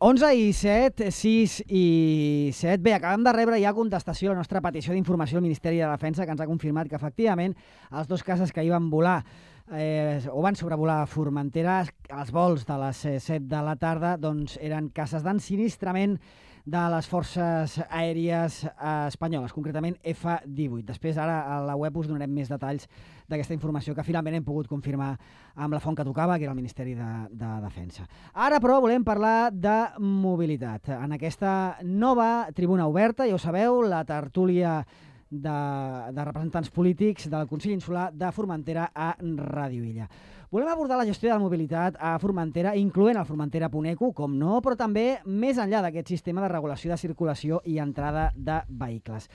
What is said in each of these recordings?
11 i 7, 6 i 7. Bé, acabem de rebre ja contestació a la nostra petició d'informació al Ministeri de Defensa, que ens ha confirmat que, efectivament, els dos casos que hi van volar o van sobrevolar Formentera, els vols de les 7 de la tarda, doncs eren cases d'ensinistrament de les forces aèries espanyoles, concretament F-18. Després, ara, a la web us donarem més detalls d'aquesta informació que finalment hem pogut confirmar amb la font que tocava, que era el Ministeri de Defensa. Ara, però, volem parlar de mobilitat. En aquesta nova tribuna oberta, ja ho sabeu, la tertúlia de representants polítics del Consell Insular de Formentera a Ràdio Illa. Volem abordar la gestió de la mobilitat a Formentera, incloent el Formentera Puneco, com no, però també més enllà d'aquest sistema de regulació de circulació i entrada de vehicles.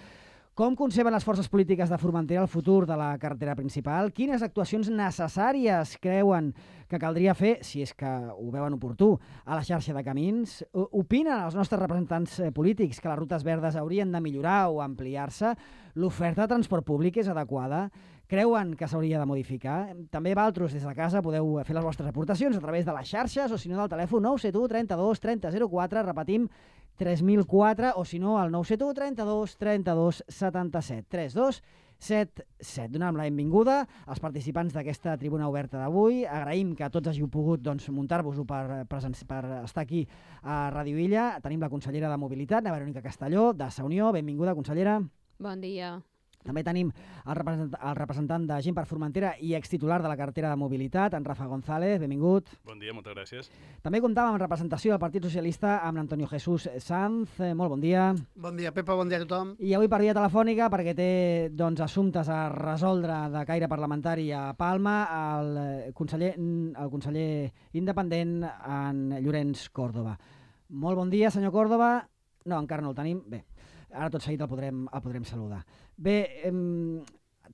Com conceben les forces polítiques de Formentera el futur de la carretera principal? Quines actuacions necessàries creuen que caldria fer, si és que ho veuen oportú, a la xarxa de camins? Opinen els nostres representants polítics que les rutes verdes haurien de millorar o ampliar-se? L'oferta de transport públic és adequada? Creuen que s'hauria de modificar? També vosaltres des de casa podeu fer les vostres aportacions a través de les xarxes o si no del telèfon 971 32 30 04, repetim 3004, o si no al 971 32 32 77 32 77. Donem la benvinguda als participants d'aquesta tribuna oberta d'avui. Agraïm que tots hàgiu pogut muntar-vos-ho per estar aquí a Ràdio Illa. Tenim la consellera de Mobilitat, la Verònica Castelló, de Sa Unió. Benvinguda, consellera. Bon dia. També tenim el representant de Gent per Formentera i extitular de la cartera de mobilitat, en Rafa González. Benvingut. Bon dia, moltes gràcies. També comptàvem amb representació del Partit Socialista amb l'Antonio Jesús Sanz. Molt bon dia. Bon dia, Pepa, bon dia a tothom. I avui per via telefònica, perquè té assumptes a resoldre de caire parlamentari a Palma, el conseller independent, en Llorenç Córdoba. Molt bon dia, senyor Córdoba. No, encara no el tenim. Bé, ara tot seguit el podrem saludar. Bé,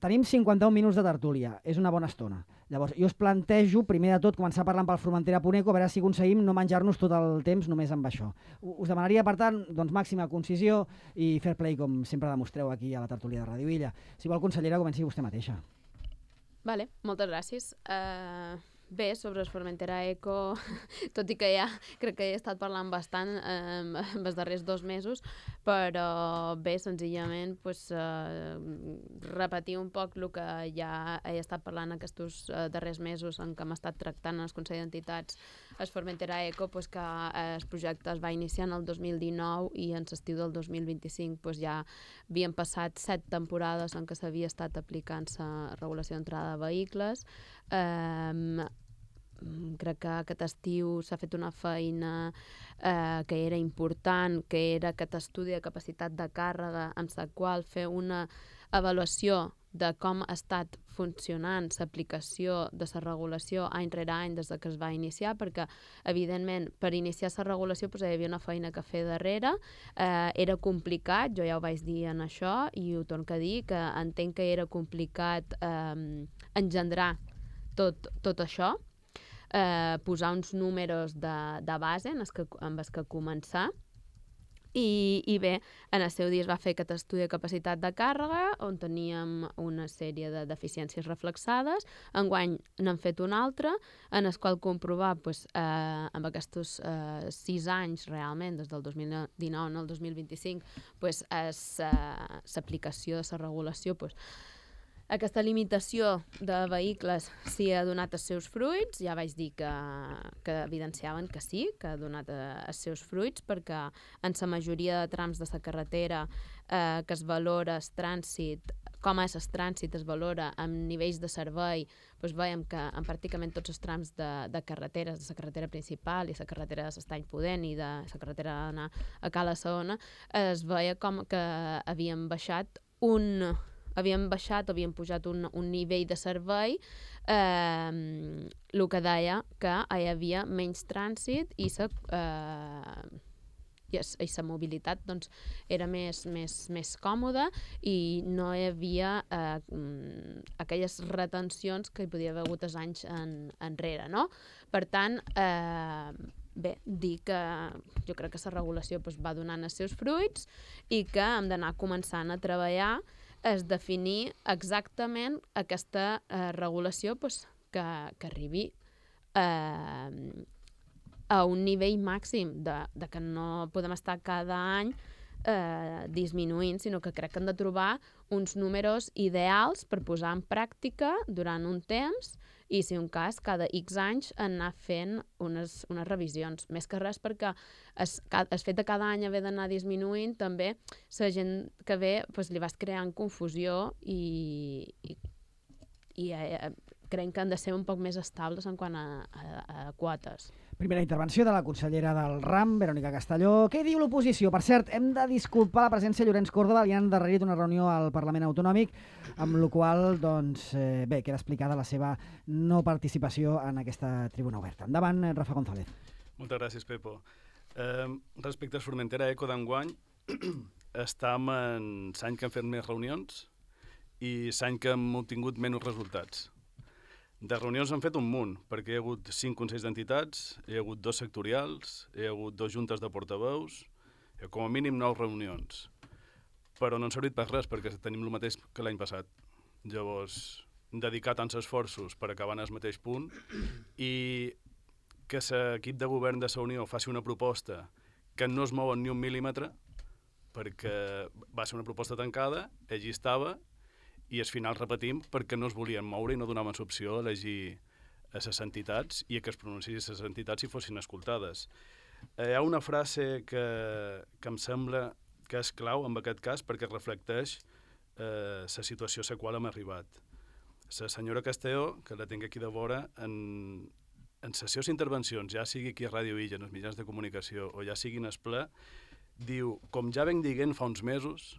tenim 51 minuts de tertúlia, és una bona estona. Llavors, jo us plantejo, primer de tot, començar parlant pel Formentera Puneco, a veure si aconseguim no menjar-nos tot el temps només amb això. Us demanaria, per tant, màxima concisió i fair play, com sempre demostreu aquí a la tertúlia de Ràdio Illa. Si vol, consellera, comenci vostè mateixa. Vale, moltes gràcies. Bé, sobre el Formentera Eco, tot i que ja crec que he estat parlant bastant els darrers 2 mesos, però bé, senzillament repetir un poc el que ja he estat parlant aquests darrers mesos en què hem estat tractant en el Consell d'Entitats. El Formentera Eco, que el projecte es va iniciar en el 2019 i en l'estiu del 2025 ja havien passat 7 temporades en què s'havia estat aplicant la regulació d'entrada de vehicles. Crec que aquest estiu s'ha fet una feina que era important, que era aquest estudi de capacitat de càrrega amb la qual fer una avaluació de com ha estat funcionant l'aplicació de la regulació any rere any des que es va iniciar, perquè, evidentment, per iniciar la regulació hi havia una feina que fer darrere, era complicat, jo ja ho vaig dir en això, i ho torno a dir, que entenc que era complicat engendrar tot això, posar uns números de base amb els que començar, i bé, en el seu dia es va fer aquest estudi de capacitat de càrrega on teníem una sèrie de deficiències reflexades. Enguany n'hem fet un altre en el qual comprovar amb aquests 6 anys realment, des del 2019 al 2025, l'aplicació de la regulació, aquesta limitació de vehicles sí ha donat els seus fruits. Ja vaig dir que evidenciaven que sí, que ha donat els seus fruits, perquè en la majoria de trams de la carretera que es valora el trànsit, com és el trànsit, es valora amb nivells de servei, veiem que en pràcticament tots els trams de carreteres, de la carretera principal i la carretera de l'Estany Pudent i de la carretera d'anar a Cala Saona, es veia com que havien havien pujat un nivell de servei, el que deia que hi havia menys trànsit i la mobilitat era més còmoda i no hi havia aquelles retencions que hi podia haver hagut els anys enrere, no? Per tant, bé, dir que jo crec que la regulació va donant els seus fruits i que hem d'anar començant a treballar és definir exactament aquesta regulació que arribi a un nivell màxim de que no podem estar cada any disminuint, sinó que crec que hem de trobar uns números ideals per posar en pràctica durant un temps i, si un cas, cada X anys anar fent unes revisions. Més que res perquè el fet de cada any haver d'anar disminuint, també la gent que ve li vas creant confusió i creiem que han de ser un poc més estables en quant a quotes. Primera intervenció de la consellera del RAM, Verònica Castelló. Què diu l'oposició? Per cert, hem de disculpar la presència de Llorenç Córdoba, li han endarrerit una reunió al Parlament Autonòmic, amb la qual queda explicada la seva no participació en aquesta tribuna oberta. Endavant, Rafa González. Moltes gràcies, Pepo. Respecte a Formentera Eco d'enguany, estem en l'any que hem fet més reunions i l'any que hem obtingut menys resultats. De reunions hem fet un munt, perquè hi ha hagut 5 consells d'entitats, hi ha hagut 2 sectorials, hi ha hagut 2 juntes de portaveus, com a mínim 9 reunions. Però no han servit per res, perquè tenim el mateix que l'any passat. Llavors, dedicar tants esforços per acabar en el mateix punt i que l'equip de govern de la Unió faci una proposta que no es mou ni un mil·límetre, perquè va ser una proposta tancada, allí estava, i al final repetim perquè no es volien moure i no donaven l'opció a elegir a les entitats i que es pronunciessin les entitats i fossin escoltades. Hi ha una frase que em sembla que és clau en aquest cas perquè reflecteix la situació a la qual hem arribat. La senyora Castelló, que la tinc aquí de vora, en sessions i intervencions, ja sigui aquí a Ràdio Illa, en els mitjans de comunicació, o ja sigui en el ple, diu, com ja venc dient fa uns mesos,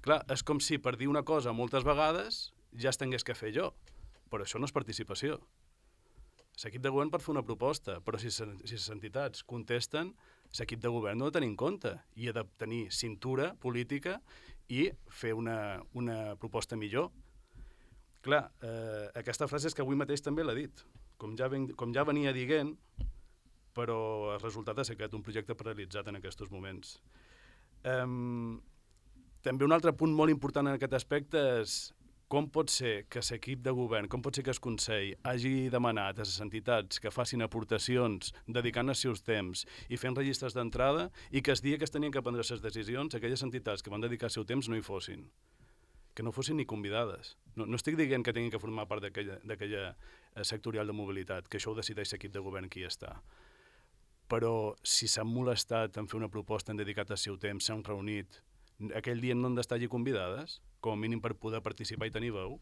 clar, és com si per dir una cosa moltes vegades ja es tingués que fer jo, però això no és participació. L'equip de govern pot fer una proposta, però si les entitats contesten, l'equip de govern no ha de tenir en compte i ha de tenir cintura política i fer una proposta millor. Clar, aquesta frase és que avui mateix també l'ha dit, com ja venia dient, però el resultat ha estat un projecte paralitzat en aquests moments. També un altre punt molt important en aquest aspecte és com pot ser que l'equip de govern, com pot ser que el Consell hagi demanat a les entitats que facin aportacions dedicant els seus temps i fent registres d'entrada i que el dia que es tenien que prendre les decisions, aquelles entitats que van dedicar el seu temps no hi fossin, que no fossin ni convidades. No estic dient que tinguin que formar part d'aquella sectorial de mobilitat, que això ho decideix l'equip de govern qui hi està. Però si s'han molestat en fer una proposta, han dedicat el seu temps, s'han reunit, aquell dia no han d'estar allí convidades, com a mínim per poder participar i tenir veu.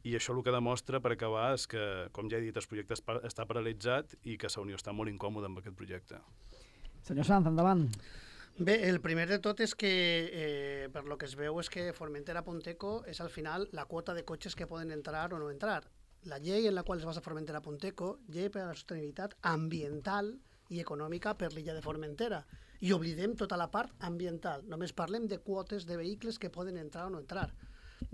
I això el que demostra, per acabar, és que, com ja he dit, el projecte està paralitzat i que la Unió està molt incòmoda amb aquest projecte. Senyor Sanz, endavant. Bé, el primer de tot és que, per lo que es veu, és que Formentera-Punteco és al final la quota de cotxes que poden entrar o no entrar. La llei en la qual es basa Formentera-Punteco, llei per a la sostenibilitat ambiental i econòmica per l'illa de Formentera. I oblidem tota la part ambiental. Només parlem de quotes de vehicles que poden entrar o no entrar.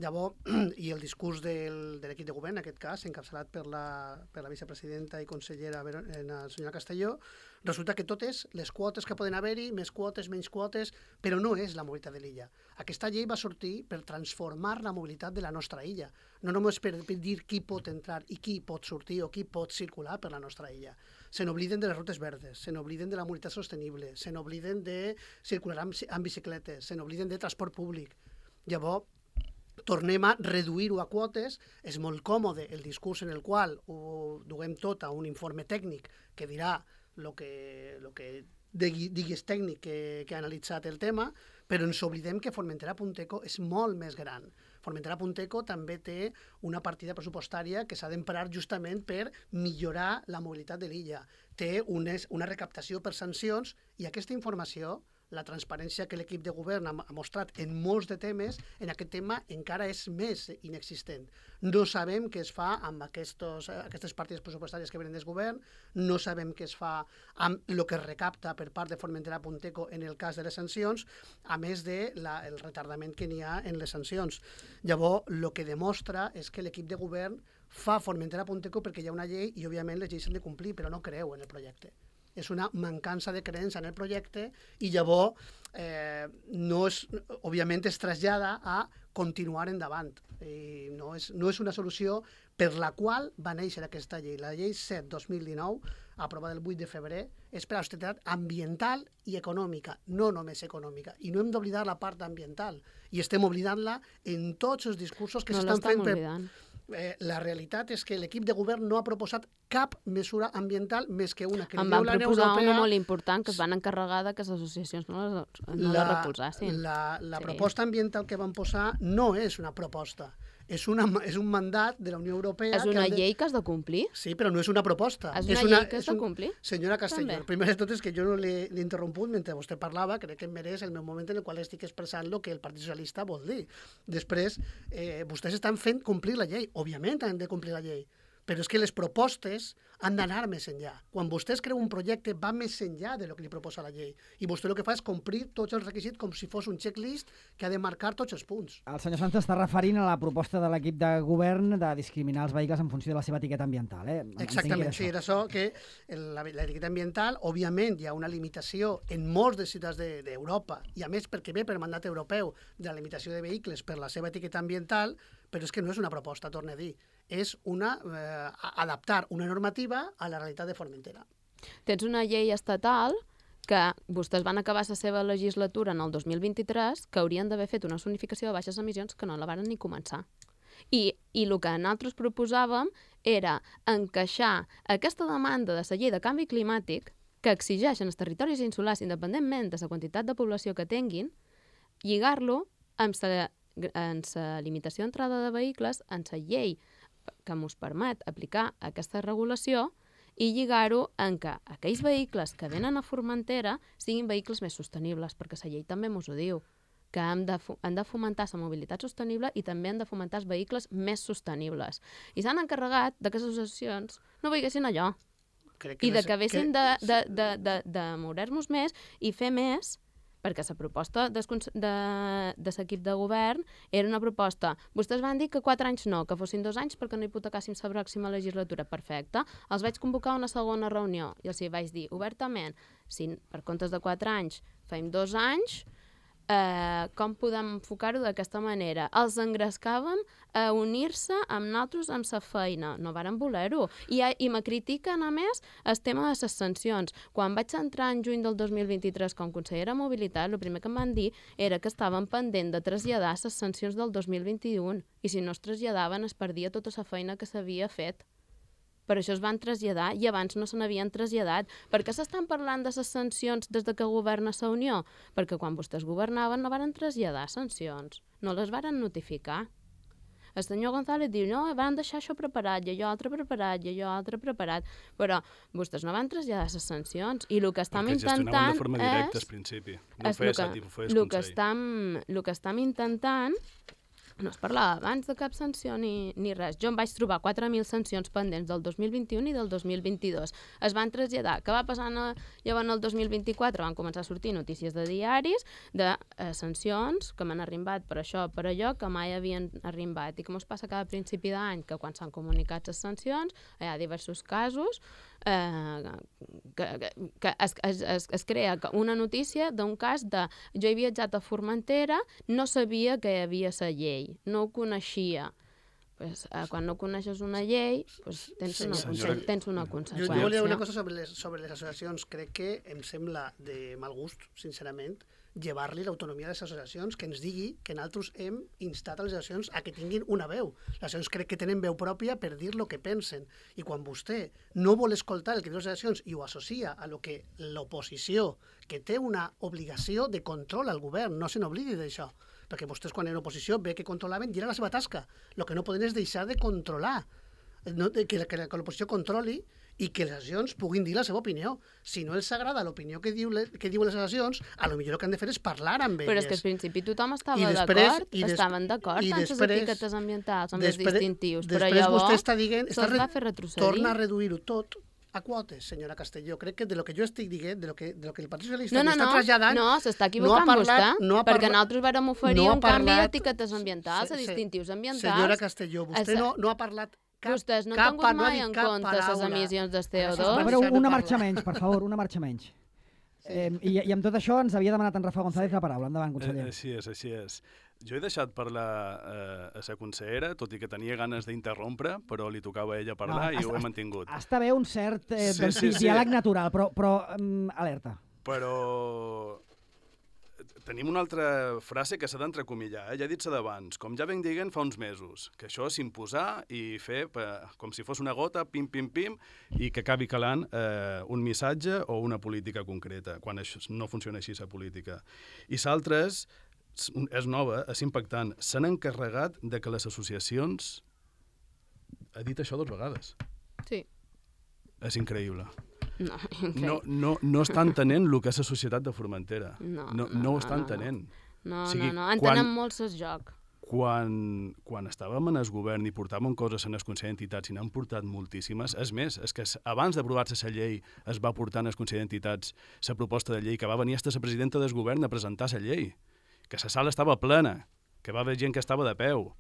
Llavors, i el discurs de l'equip de govern, en aquest cas, encapçalat per la vicepresidenta i consellera la senyora Castelló, resulta que totes les quotes que poden haver-hi, més quotes, menys quotes, però no és la mobilitat de l'illa. Aquesta llei va sortir per transformar la mobilitat de la nostra illa, no només per dir qui pot entrar i qui pot sortir o qui pot circular per la nostra illa. Se n'obliden de les rutes verdes, se n'obliden de la mobilitat sostenible, se n'obliden de circular amb bicicletes, se n'obliden de transport públic. Llavors, tornem a reduir-ho a quotes. És molt còmode el discurs en el qual ho duguem tot a un informe tècnic que dirà el que diguis tècnic que ha analitzat el tema, però ens oblidem que Formentera-Punteco és molt més gran. Formentera-Punteco també té una partida pressupostària que s'ha d'emprar justament per millorar la mobilitat de l'illa. Té una recaptació per sancions i aquesta informació, la transparència que l'equip de govern ha mostrat en molts de temes, en aquest tema encara és més inexistent. No sabem què es fa amb aquestes partides pressupostàries que venen del govern, no sabem què es fa amb el que es recapta per part de Formentera-Punteco en el cas de les sancions, a més del retardament que n'hi ha en les sancions. Llavors, el que demostra és que l'equip de govern fa Formentera-Punteco perquè hi ha una llei i, òbviament, les lleis s'han de complir, però no creu en el projecte. És una mancança de creença en el projecte i llavors, òbviament, es trasllada a continuar endavant. No és una solució per la qual va néixer aquesta llei. La llei 7-2019, aprovada el 8 de febrer, és per a la sostenibilitat ambiental i econòmica, no només econòmica. I no hem d'oblidar la part ambiental. I estem oblidant-la en tots els discursos que s'estan fent. La realitat és que l'equip de govern no ha proposat cap mesura ambiental més que una que em van proposar una molt important, que es van encarregar que les associacions no la recolzassin. La proposta ambiental que van posar no és una proposta, és un mandat de la Unió Europea. És una llei que has de complir? Sí, però no és una proposta. És una llei que has de complir? Senyora Castelló, el primer de tot és que jo no l'he interromput mentre vostè parlava, crec que em mereix el meu moment en el qual estic expressant el que el Partit Socialista vol dir. Després, vostès estan fent complir la llei. Òbviament han de complir la llei, però és que les propostes han d'anar més enllà. Quan vostè es creu un projecte, va més enllà de lo que li proposa la llei. I vostè el que fa és complir tots els requisits com si fos un checklist que ha de marcar tots els punts. El senyor Santos està referint a la proposta de l'equip de govern de discriminar els vehicles en funció de la seva etiqueta ambiental. Exactament, sí, era això, que l'etiqueta ambiental, òbviament, hi ha una limitació en molts de ciutats d'Europa, i a més perquè ve per mandat europeu de la limitació de vehicles per la seva etiqueta ambiental, però és que no és una proposta, torno a dir, és adaptar una normativa a la realitat de Formentera. Tens una llei estatal que vostès van acabar la seva legislatura en el 2023, que haurien d'haver fet una zonificació de baixes emissions que no la varen ni començar. I el que nosaltres proposàvem era encaixar aquesta demanda de la llei de canvi climàtic que exigeixen els territoris insulars, independentment de la quantitat de població que tinguin, lligar-lo amb la limitació d'entrada de vehicles, en la llei que ens permet aplicar aquesta regulació i lligar-ho en que aquells vehicles que venen a Formentera siguin vehicles més sostenibles, perquè la llei també ens ho diu, que han de fomentar la mobilitat sostenible i també han de fomentar els vehicles més sostenibles. I s'han encarregat que les associacions no veiessin allò i de que haguessin de moure-nos més i fer més, perquè la proposta de l'equip de govern era una proposta. Vostès van dir que 4 anys no, que fossin 2 anys perquè no hipotecàssim la pròxima legislatura. Perfecte. Els vaig convocar a una segona reunió i els vaig dir obertament, si per comptes de 4 anys fem 2 anys, com podem enfocar-ho d'aquesta manera? Els engrescàvem a unir-se amb nosaltres amb la feina. No varen voler-ho. I me critiquen, a més, el tema de les sancions. Quan vaig entrar en juny del 2023 com consellera de Mobilitat, el primer que em van dir era que estaven pendent de traslladar les sancions del 2021 i si no es traslladaven es perdia tota la feina que s'havia fet. Per això es van traslladar i abans no se n'havien traslladat. Per què s'estan parlant de les sancions des que governa la Unió? Perquè quan vostès governaven no varen traslladar sancions, no les varen notificar. El senyor González diu, no, van deixar això preparat, i allò altre preparat, i allò altre preparat, però vostès no van traslladar les sancions, i el que estem intentant gestionaven de forma directa al principi. No ho feia Sàtim, ho feia el Consell. El que estem intentant no es parlava abans de cap sanció ni res. Jo em vaig trobar 4.000 sancions pendents del 2021 i del 2022. Es van traslladar. Què va passar llavors en el 2024? Van començar a sortir notícies de diaris de sancions que m'han arribat per això, per allò, que mai havien arribat. I com es passa cada principi d'any, que quan s'han comunicat les sancions, hi ha diversos casos que es crea una notícia d'un cas de jo he viatjat a Formentera, no sabia que hi havia la llei, no ho coneixia. Pues, quan no coneixes una llei, pues, tens una conseqüència. Jo volia dir una cosa sobre les associacions. Crec que em sembla de mal gust, sincerament, llevar-li l'autonomia a les associacions, que ens digui que nosaltres hem instat a les associacions a que tinguin una veu. Les associacions crec que tenen veu pròpia per dir el que pensen. I quan vostè no vol escoltar el que diuen les associacions i ho associa a lo que l'oposició, que té una obligació de control al govern, no se n'oblidi d'això, perquè vostès quan eren oposició ve que controlaven i era la seva tasca. El que no poden és deixar de controlar, que l'oposició controli i que les associacions puguin dir la seva opinió. Si no els agrada l'opinió que diuen les associacions, potser el que han de fer és parlar amb elles. Però és que al principi tothom estava d'acord, estaven d'acord amb les etiquetes ambientals, amb els distintius, però llavors se'ls va fer retrocedir. Torna a reduir-ho tot a quotes, senyora Castelló. Crec que de lo que jo estic dient, de lo que el Partit Socialista està traslladant... No, s'està equivocant vostè, perquè nosaltres vàrem oferir un canvi d'etiquetes ambientals, a distintius ambientals. Senyora Castelló, vostè no ha parlat... Vostès no han tingut mai en compte les emissions de CO2? Però una marxa menys, per favor, una marxa menys. I amb tot això ens havia demanat en Rafa González la paraula. Endavant, conseller. Així és. Jo he deixat parlar a la consellera, tot i que tenia ganes d'interrompre, però li tocava a ella parlar i ho he mantingut. Està bé un cert diàleg natural, però alerta. Però tenim una altra frase que s'ha d'entrecomillar, ja he dit-se d'abans, com ja venc dient fa uns mesos, que això és imposar i fer com si fos una gota, pim, pim, pim, i que acabi calant un missatge o una política concreta, quan això no funciona així la política. I l'altre és nova, és impactant. S'han encarregat de que les associacions... Ha dit això 2 vegades. Sí. És increïble. No, increïble. No està entenent el que és la societat de Formentera. No ho està entenent. No. Entenen molt el joc. Quan estàvem en el govern i portàvem coses en el Consell d'Entitats i n'han portat moltíssimes, és més, és que abans d'aprovar-se la llei es va portar en el Consell d'Entitats la proposta de llei que va venir fins a la presidenta del govern a presentar la llei, que la sala estava plena, que va haver gent que estava de peu.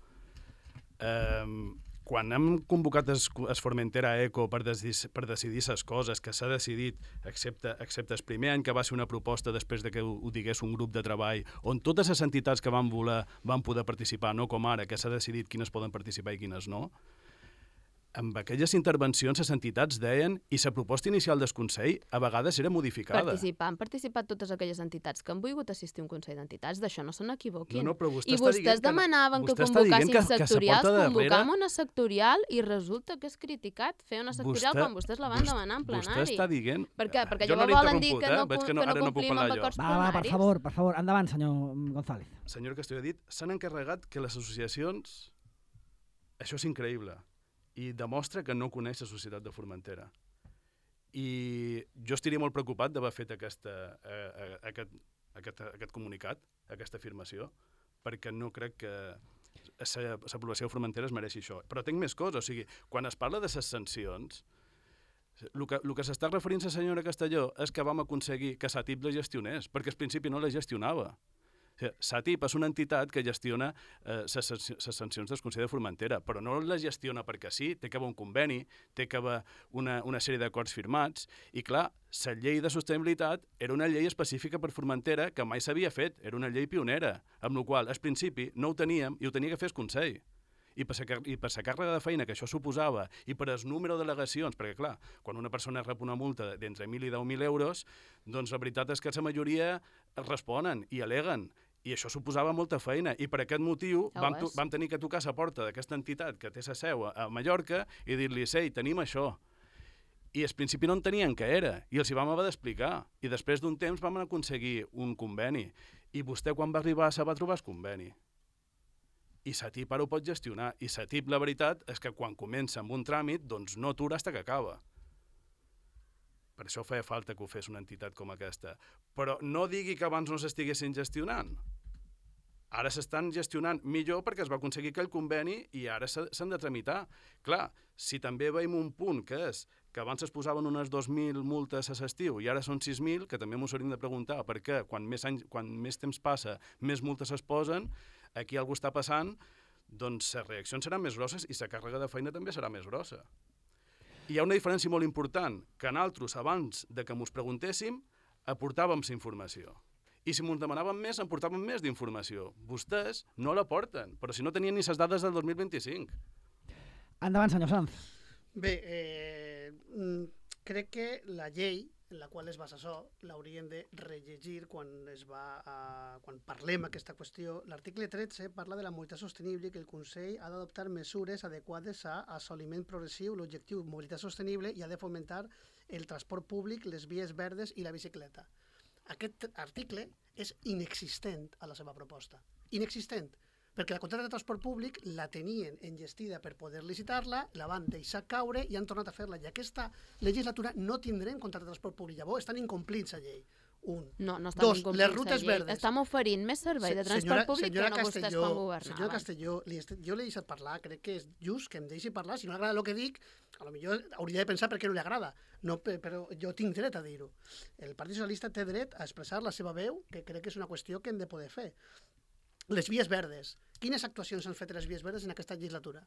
Quan hem convocat el Formentera Eco per decidir les coses que s'ha decidit, excepte el primer any que va ser una proposta després de que ho digués un grup de treball, on totes les entitats que van voler van poder participar, no com ara, que s'ha decidit quines poden participar i quines no, amb aquelles intervencions les entitats deien, i la proposta inicial del Consell a vegades era modificada. Han participat totes aquelles entitats que han volgut assistir a un Consell d'Entitats, d'això no se n'equivoquin. I vostès demanaven que convocassin sectorials, convocam una sectorial i resulta que és criticat fer una sectorial quan vostès la van demanar en plenari. Vostè està dient... Per què? Perquè llavors volen dir que no complim amb acords plenaris? Per favor, endavant, senyor González. Senyor Castelló ha dit, s'han encarregat que les associacions... Això és increïble. I demostra que no coneix la societat de Formentera. I jo estaria molt preocupat d'haver fet aquest comunicat, aquesta afirmació, perquè no crec que la població de Formentera es mereixi això. Però tinc més coses, o sigui, quan es parla de les sancions, el que s'està referint la senyora Castelló és que vam aconseguir que SATIP la gestionés, perquè al principi no la gestionava. SATIP és una entitat que gestiona les sancions del Consell de Formentera, però no la gestiona perquè sí, té que haver un conveni, té que haver una sèrie d'acords firmats, i clar, la llei de sostenibilitat era una llei específica per Formentera que mai s'havia fet, era una llei pionera, amb la qual al principi no ho teníem i ho tenia que fer el Consell. I per la càrrega de feina que això suposava i per el número de delegacions, perquè clar, quan una persona rep una multa d'entre 1.000 i 10.000 euros, doncs la veritat és que la majoria responen i aleguen, i això suposava molta feina, i per aquest motiu vam tenir que tocar la porta d'aquesta entitat que té la seu a Mallorca i dir-li, ei, tenim això. I al principi no entenien què era, i els hi vam haver d'explicar, i després d'un temps vam aconseguir un conveni, i vostè quan va arribar se va trobar el conveni. I SATIP ara ho pot gestionar, i SATIP la veritat és que quan comença amb un tràmit, doncs no atura fins que acaba. Per això feia falta que ho fes una entitat com aquesta. Però no digui que abans no s'estiguessin gestionant. Ara s'estan gestionant millor perquè es va aconseguir aquell conveni i ara s'han de tramitar. Clar, si també veiem un punt que és que abans es posaven unes 2.000 multes a l'estiu i ara són 6.000, que també m'ho hauríem de preguntar perquè quan més temps passa, més multes es posen, aquí algú està passant, doncs les reaccions seran més grosses i la càrrega de feina també serà més grossa. I hi ha una diferència molt important, que nosaltres, abans de que mos preguntéssim, aportàvem la informació. I si mos demanàvem més, en portàvem més d'informació. Vostès no la porten, però si no tenien ni les dades del 2025. Endavant, senyor Sanz. Bé, crec que la llei en la qual es basa això l'hauríem de rellegir quan parlem aquesta qüestió. L'article 13 parla de la mobilitat sostenible i que el Consell ha d'adoptar mesures adequades a assoliment progressiu, l'objectiu mobilitat sostenible i ha de fomentar el transport públic, les vies verdes i la bicicleta. Aquest article és inexistent a la seva proposta. Inexistent. Perquè la contracta de transport públic la tenien engestida per poder licitar-la, la van deixar caure i han tornat a fer-la. I aquesta legislatura no tindrem contracte de transport públic. Llavors estan incomplits la llei. No estan incomplits les rutes verdes. Estem oferint més servei de transport públic que no vostès quan governaven. Senyora Castelló, jo l'he deixat parlar, crec que és just que em deixi parlar. Si no li agrada el que dic, potser hauria de pensar per què no li agrada. No, però jo tinc dret a dir-ho. El Partit Socialista té dret a expressar la seva veu, que crec que és una qüestió que hem de poder fer. Les vies verdes. Quines actuacions han fet les vies verdes en aquesta legislatura?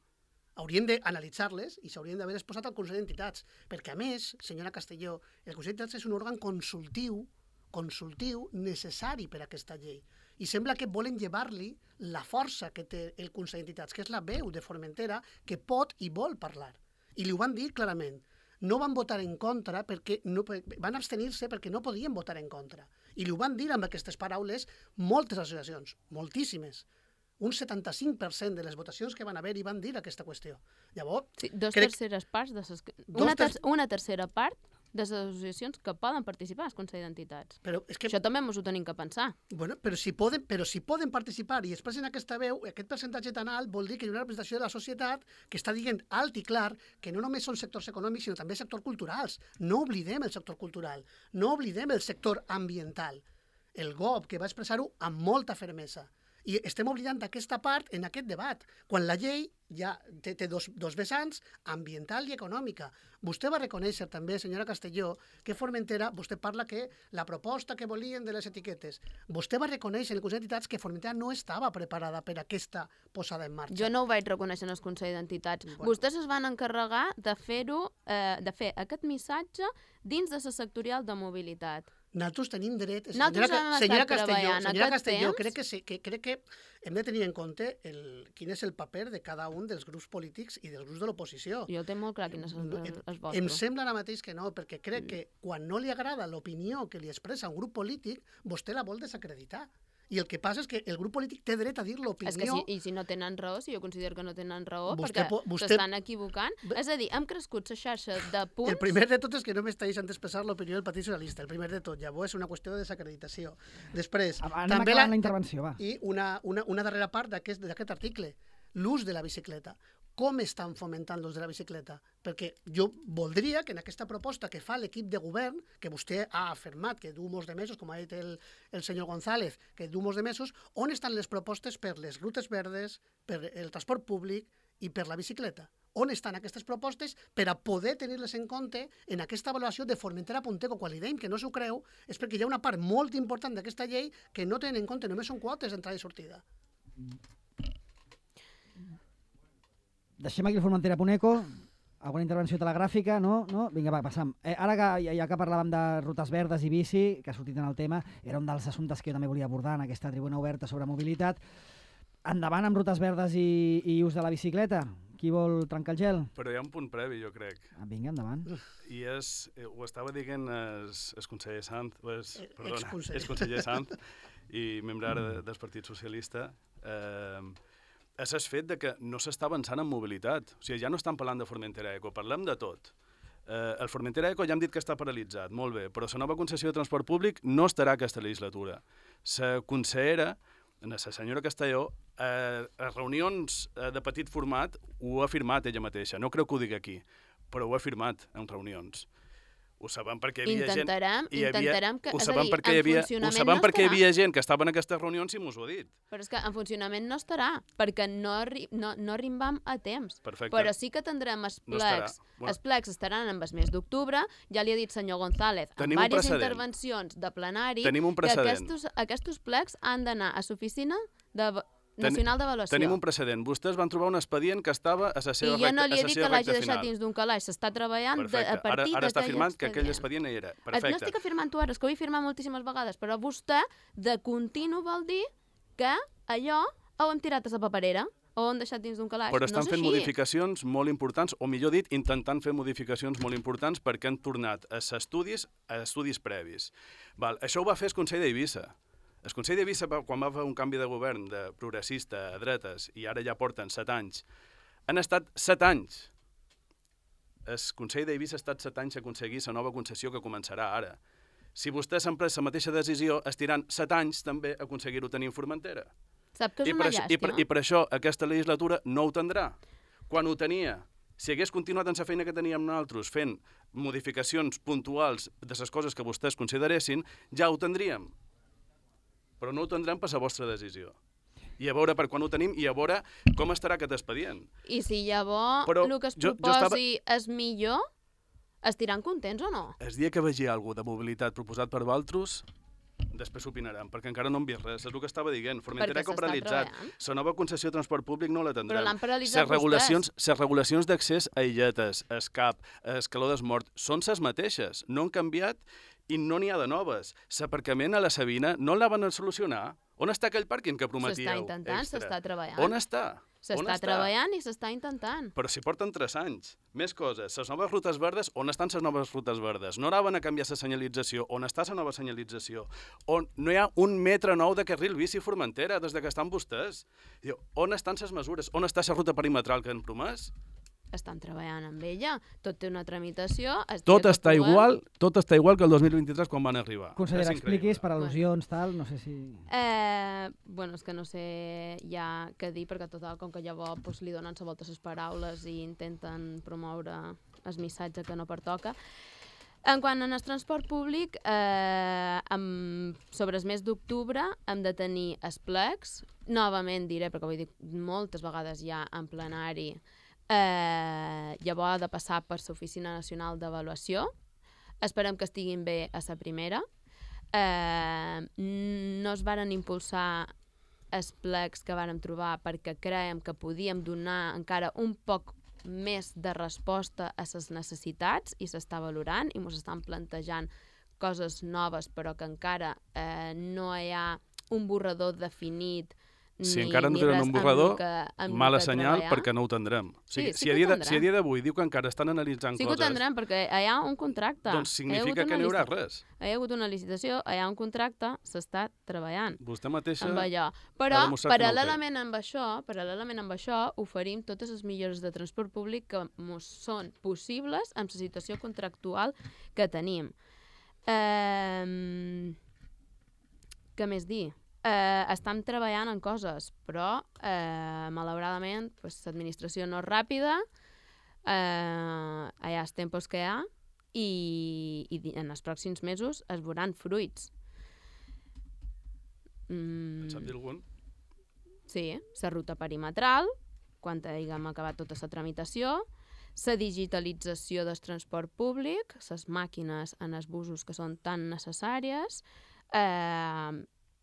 Hauríem d'analitzar-les i s'haurien d'haver exposat al Consell d'Entitats, perquè a més, senyora Castelló, el Consell d'Entitats és un òrgan consultiu consultiu necessari per a aquesta llei. I sembla que volen llevar-li la força que té el Consell d'Entitats, que és la veu de Formentera, que pot i vol parlar. I li ho van dir clarament. No van votar en contra perquè van abstenir-se perquè no podien votar en contra. I li ho van dir amb aquestes paraules moltes associacions, moltíssimes. Un 75% de les votacions que van haver-hi van dir aquesta qüestió. Llavors, sí, terceres parts una tercera part de les associacions que poden participar al Consell d'Entitats. Però és que... Això també ens ho tenim que pensar. Bueno, però si poden participar i expressen aquesta veu, aquest percentatge tan alt vol dir que hi ha una representació de la societat que està dient alt i clar que no només són sectors econòmics, sinó també sectors culturals. No oblidem el sector cultural, no oblidem el sector ambiental. El GOP, que va expressar-ho amb molta fermesa. I estem oblidant aquesta part en aquest debat, quan la llei ja té dos vessants, ambiental i econòmica. Vostè va reconèixer també, senyora Castelló, que Formentera, vostè parla que la proposta que volien de les etiquetes, vostè va reconèixer en el Consell d'Entitats que Formentera no estava preparada per a aquesta posada en marxa. Jo no ho vaig reconèixer en el Consell d'Entitats. Bueno. Vostès es van encarregar de fer aquest missatge dins de la sectorial de mobilitat. Nosaltres tenim dret... Senyora Castelló, crec que hem de tenir en compte quin és el paper de cada un dels grups polítics i dels grups de l'oposició. Jo tinc molt clar quin és el vostre. Em sembla ara mateix que no, perquè crec que quan no li agrada l'opinió que li expressa un grup polític, vostè la vol desacreditar. I el que passa és que el grup polític té dret a dir l'opinió... És que i si no tenen raó, si jo considero que no tenen raó, perquè s'estan equivocant. És a dir, hem crescut la xarxa de punts... El primer de tot és que no m'està deixant expressar l'opinió del Partit Socialista, el primer de tot. Llavors és una qüestió de desacreditació. Després... Anem acabant la intervenció, va. I una darrera part d'aquest article, l'ús de la bicicleta. Com estan fomentant l'ús de la bicicleta? Perquè jo voldria que en aquesta proposta que fa l'equip de govern, que vostè ha afirmat que du molts de mesos, com ha dit el senyor González, que du molts de mesos, on estan les propostes per les rutes verdes, per el transport públic i per la bicicleta? On estan aquestes propostes per a poder tenir-les en compte en aquesta avaluació de Formentera Punteco? Quan li dèiem que no s'ho creu és perquè hi ha una part molt important d'aquesta llei que no tenen en compte, només són quotes d'entrada i sortida. Deixem aquí el Formentera Punteco. Alguna intervenció telegràfica? No? Vinga, va, passam. Ara ja que parlàvem de rutes verdes i bici, que ha sortit en el tema, era un dels assumptes que jo també volia abordar en aquesta tribuna oberta sobre mobilitat. Endavant amb rutes verdes i ús de la bicicleta. Qui vol trencar el gel? Però hi ha un punt previ, jo crec. Vinga, endavant. I ho estava dient el conseller Sanz, ex-conseller Sanz, i membre ara del Partit Socialista, és el fet de que no s'està avançant en mobilitat. O sigui, ja no estan parlant de Formentera Eco, parlem de tot. El Formentera Eco ja hem dit que està paralitzat, molt bé, però la nova concessió de transport públic no estarà aquesta legislatura. La consellera, la senyora Castelló, a reunions de petit format ho ha afirmat ella mateixa. No creu que ho digui aquí, però ho ha afirmat en reunions. Ho sabem perquè hi havia gent... Intentarem que... Ho sabem perquè hi havia gent que estava en aquestes reunions i mos ho ha dit. Però és que en funcionament no estarà, perquè no arribam a temps. Perfecte. Però sí que tindrem els plecs. Els plecs estaran en el mes d'octubre. Ja li ha dit senyor González en diverses intervencions de plenari que aquests plecs han d'anar a l'oficina nacional d'avaluació. Tenim un precedent. Vostès van trobar un expedient que estava a la seva recta final. I jo no li he dit que l'hagi deixat dins d'un calaix. S'està treballant a partir d'aquell expedient. Ara està afirmant que aquell expedient hi era. Perfecte. No estic afirmant-ho ara, és que ho he afirmat moltíssimes vegades, però vostè de continu vol dir que allò ho hem tirat a la paperera o ho hem deixat dins d'un calaix. Però estan fent modificacions molt importants, o millor dit, intentant fer modificacions molt importants perquè han tornat a estudis previs. Això ho va fer el Consell d'Eivissa. El Consell d'Eivissa, quan va fer un canvi de govern de progressista a dretes, i ara ja porten 7 anys, han estat 7 anys. El Consell d'Eivissa ha estat 7 anys a aconseguir la nova concessió que començarà ara. Si vostès han pres la mateixa decisió, estiran 7 anys també a aconseguir-ho tenir en Formentera. Sap que és una llàstima? I per això aquesta legislatura no ho tindrà. Quan ho tenia, si hagués continuat en la feina que teníem nosaltres, fent modificacions puntuals de les coses que vostès consideressin, ja ho tindríem. Però no ho tindrem per la vostra decisió. I a veure per quan ho tenim i a veure com estarà aquest expedient. I si llavors el que es proposi és millor, estiran contents o no? El dia que vegi alguna de mobilitat proposat per vosaltres, després opinarem, perquè encara no hem vist res. És el que estava dient. Formentera Eco paralitzat. La nova concessió de transport públic no la tindrem. Però l'han paralitzat vostès. Les regulacions d'accés a illetes, escap, escaló desmort, són les mateixes. No han canviat i no n'hi ha de noves. L'aparcament a la Sabina no el van a solucionar. On està aquell pàrquing que prometíeu? S'està intentant, s'està treballant. On està? S'està treballant i s'està intentant. Però si porten 3 anys. Més coses. Les noves rutes verdes, on estan les noves rutes verdes? No anaven a canviar la senyalització. On està la nova senyalització? On no hi ha 1 metre nou de carril bici a Formentera des que estan vostès? On estan les mesures? On està la ruta perimetral que han promès? Estan treballant amb ella, tot té una tramitació... Tot està igual que el 2023 quan van arribar. Consellera, expliquis per al·lusions, tal, no sé si... Bueno, és que no sé ja què dir, perquè total, com que llavors li donen la volta a les paraules i intenten promoure el missatge que no pertoca. En quant al transport públic, sobre el mes d'octubre hem de tenir els plecs, novament diré, perquè ho he dit moltes vegades ja en plenari, llavors ha de passar per l'Oficina Nacional d'Avaluació. Esperem que estiguin bé a la primera. No es varen impulsar els plecs que vàrem trobar perquè creiem que podíem donar encara un poc més de resposta a les necessitats i s'està valorant i ens estan plantejant coses noves però que encara no hi ha un borrador definit. Si encara no tenen un borrador, mala senyal perquè no ho tindrem. Sí si a dia d'avui diu que encara estan analitzant coses... Sí que ho tindrem perquè hi ha un contracte. Doncs significa que no hi haurà res. Hi ha hagut una licitació, hi ha un contracte, s'està treballant. Vostè mateixa amb allò. Però paral·lelament amb això oferim totes les millores de transport públic que són possibles amb la situació contractual que tenim. Què més dir? Estem treballant en coses, però malauradament l'administració no és ràpida, hi ha els tempos que hi ha i en els pròxims mesos es veuran fruits. En sap dir algun? Sí, la ruta perimetral, quan haguem acabat tota la tramitació, la digitalització del transport públic, les màquines en els busos que són tan necessàries,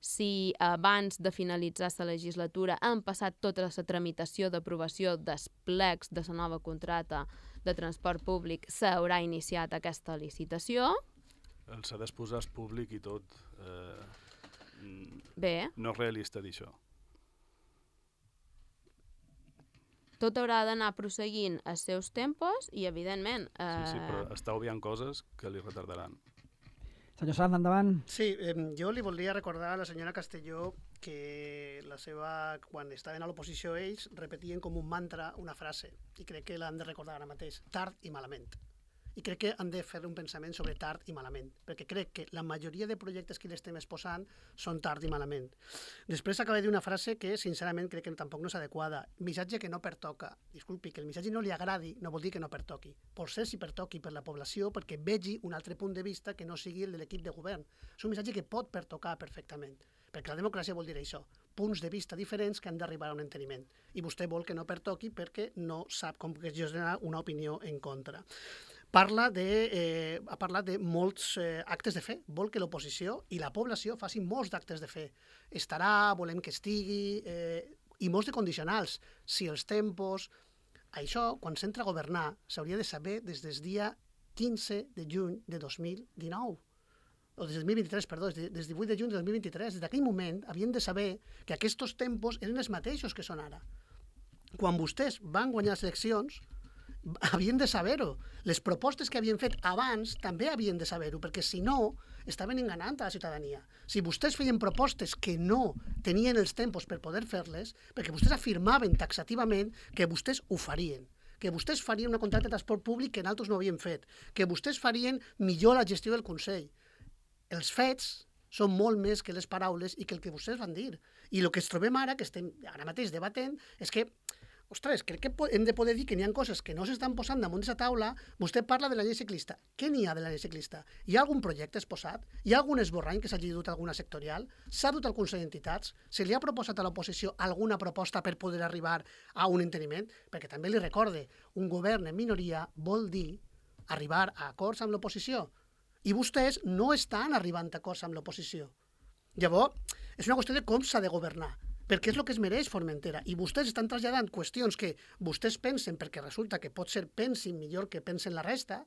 si abans de finalitzar la legislatura han passat tota la tramitació d'aprovació dels plecs de la nova contracta de transport públic, s'haurà iniciat aquesta licitació. S'ha d'exposar el públic i tot. Bé. No és realista dir això. Tot haurà d'anar prosseguint els seus tempos i, evidentment... Sí, però està obviant coses que li retardaran. Senyor Sanz, endavant. Sí, jo li voldria recordar a la senyora Castelló que quan estaven a l'oposició ells repetien com un mantra una frase i crec que l'han de recordar ara mateix, tard i malament. I crec que han de fer un pensament sobre tard i malament, perquè crec que la majoria de projectes que l'estem exposant són tard i malament. Després acaba de dir una frase que, sincerament, crec que tampoc no és adequada. Missatge que no pertoca. Disculpi, que el missatge no li agradi no vol dir que no pertoqui. Pot ser si pertoqui per la població perquè vegi un altre punt de vista que no sigui el de l'equip de govern. És un missatge que pot pertocar perfectament, perquè la democràcia vol dir això, punts de vista diferents que han d'arribar a un enteniment. I vostè vol que no pertoqui perquè no sap com gestionar una opinió en contra. Ha parlat de molts actes de fe. Vol que l'oposició i la població facin molts d'actes de fe. Estarà, volem que estigui, i molts de condicionals. Si els tempos... Això, quan s'entra a governar, s'hauria de saber des del dia 15 de juny de 2019. O des del 2023, perdó, des del 18 de juny de 2023. Des d'aquell moment havien de saber que aquests tempos eren els mateixos que són ara. Quan vostès van guanyar les eleccions, havien de saber-ho. Les propostes que havien fet abans també havien de saber-ho, perquè si no, estaven enganant a la ciutadania. Si vostès feien propostes que no tenien els tempos per poder fer-les, perquè vostès afirmaven taxativament que vostès ho farien, que vostès farien una contracta de transport públic que nosaltres no havien fet, que vostès farien millor la gestió del Consell. Els fets són molt més que les paraules i que el que vostès van dir. I el que ens trobem ara, que estem ara mateix debatent, és que ostres, crec que hem de poder dir que n'hi ha coses que no s'estan posant damunt d'aquesta taula. Vostè parla de la llei ciclista. Què n'hi ha de la llei ciclista? Hi ha algun projecte exposat? Hi ha algun esborrany que s'hagi dut a alguna sectorial? S'ha dut al Consell d'Entitats? Se li ha proposat a l'oposició alguna proposta per poder arribar a un enteniment? Perquè també li recorde, un govern en minoria vol dir arribar a acords amb l'oposició. I vostès no estan arribant a acords amb l'oposició. Llavors, és una qüestió de com s'ha de governar, perquè és el que es mereix Formentera. I vostès estan traslladant qüestions que vostès pensen perquè resulta que potser pensin millor que pensen la resta,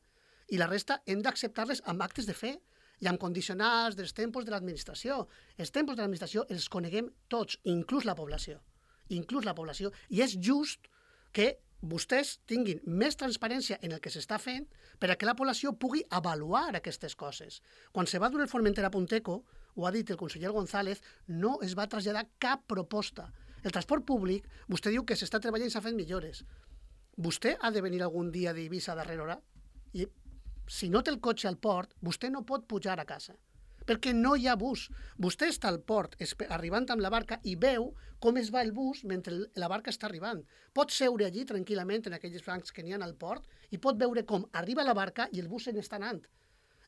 i la resta hem d'acceptar-les amb actes de fe. i amb condicionals dels tempos de l'administració. Els tempos de l'administració els coneguem tots, inclús la població. I és just que vostès tinguin més transparència en el que s'està fent per a que la població pugui avaluar aquestes coses. Quan se va dur el Formentera a Punteco, ho ha dit el conseller González, no es va traslladar cap proposta. El transport públic, vostè diu que s'està treballant i s'ha fet millores. Vostè ha de venir algun dia d'Eivissa a darrera hora i si no té el cotxe al port, vostè no pot pujar a casa, perquè no hi ha bus. Vostè està al port arribant amb la barca i veu com es va el bus mentre la barca està arribant. Pot seure allí tranquil·lament en aquells bancs que n'hi ha al port i pot veure com arriba la barca i el bus se n'està anant.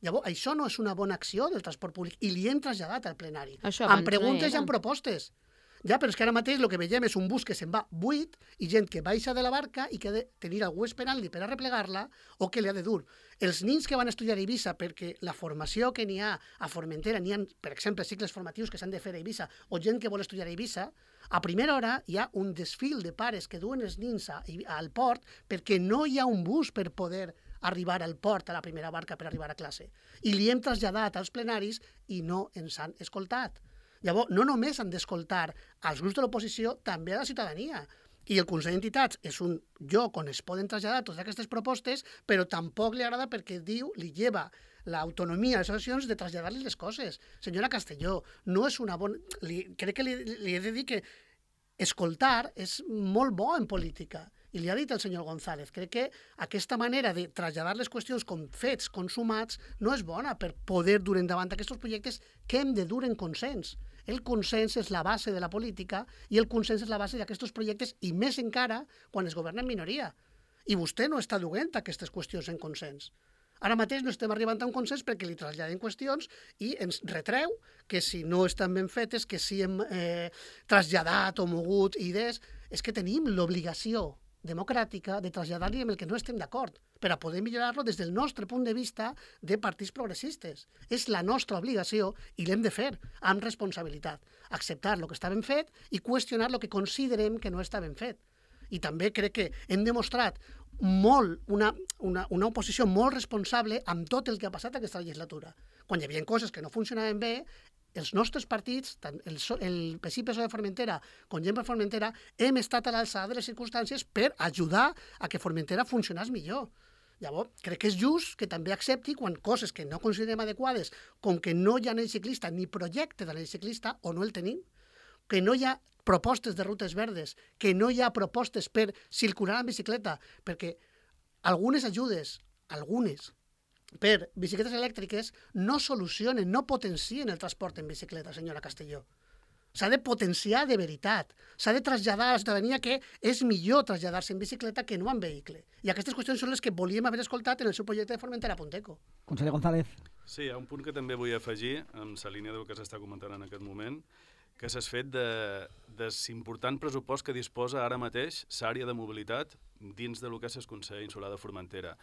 Llavors, això no és una bona acció del transport públic i li hem traslladat al plenari. Amb preguntes i amb propostes. Ja, però és que ara mateix el que veiem és un bus que se'n va buit i gent que baixa de la barca i que ha de tenir algú esperant-li per a replegar-la o que li ha de dur. Els nins que van estudiar a Eivissa, perquè la formació que n'hi ha a Formentera, n'hi ha, per exemple, cicles formatius que s'han de fer a Eivissa, o gent que vol estudiar a Eivissa, a primera hora hi ha un desfil de pares que duen els nins al port perquè no hi ha un bus per poder arribar al port a la primera barca per arribar a classe. I li hem traslladat als plenaris i no ens han escoltat. Llavors, no només han d'escoltar als grups de l'oposició, també a la ciutadania. I el Consell d'Entitats és un lloc on es poden traslladar totes aquestes propostes, però tampoc li agrada perquè diu, li lleva l'autonomia a les associacions de traslladar-li les coses. Senyora Castelló, no és una bona... Crec que li he de dir que escoltar és molt bo en política. I li ha dit el senyor González, crec que aquesta manera de traslladar les qüestions com fets consumats no és bona per poder dur endavant aquests projectes que hem de dur en consens. El consens és la base de la política i el consens és la base d'aquests projectes i més encara quan es governa en minoria. I vostè no està duent aquestes qüestions en consens. Ara mateix no estem arribant a un consens perquè li traslladem qüestions i ens retreu que si no estan ben fetes, que si hem traslladat o mogut idees, és que tenim l'obligació democràtica de traslladar-li amb el que no estem d'acord per a poder millorar-lo des del nostre punt de vista de partits progressistes. És la nostra obligació i l'hem de fer amb responsabilitat. Acceptar el que està ben fet i qüestionar el que considerem que no està ben fet. I també crec que hem demostrat una oposició molt responsable amb tot el que ha passat aquesta legislatura. Quan hi havia coses que no funcionaven bé, els nostres partits, tant el PSI-PSOE de Formentera com Gent per Formentera, hem estat a l'alçada de les circumstàncies per ajudar a que Formentera funcionés millor. Llavors, crec que és just que també accepti quan coses que no considerem adequades, com que no hi ha anell ciclista ni projecte d'anell ciclista, o no el tenim, que no hi ha propostes de rutes verdes, que no hi ha propostes per circular en bicicleta, perquè algunes ajudes, per bicicletes elèctriques no solucionen, no potencien el transport en bicicleta, senyora Castelló. S'ha de potenciar de veritat. S'ha de traslladar a la ciutadania que és millor traslladar-se en bicicleta que no en vehicle. I aquestes qüestions són les que volíem haver escoltat en el seu projecte de Formentera Punteco. Conseller González. Sí, hi ha un punt que també vull afegir, en la línia del que s'està comentant en aquest moment, que s'ha fet de l'important pressupost que disposa ara mateix l'àrea de mobilitat dins del que és el Consell Insular de Formentera.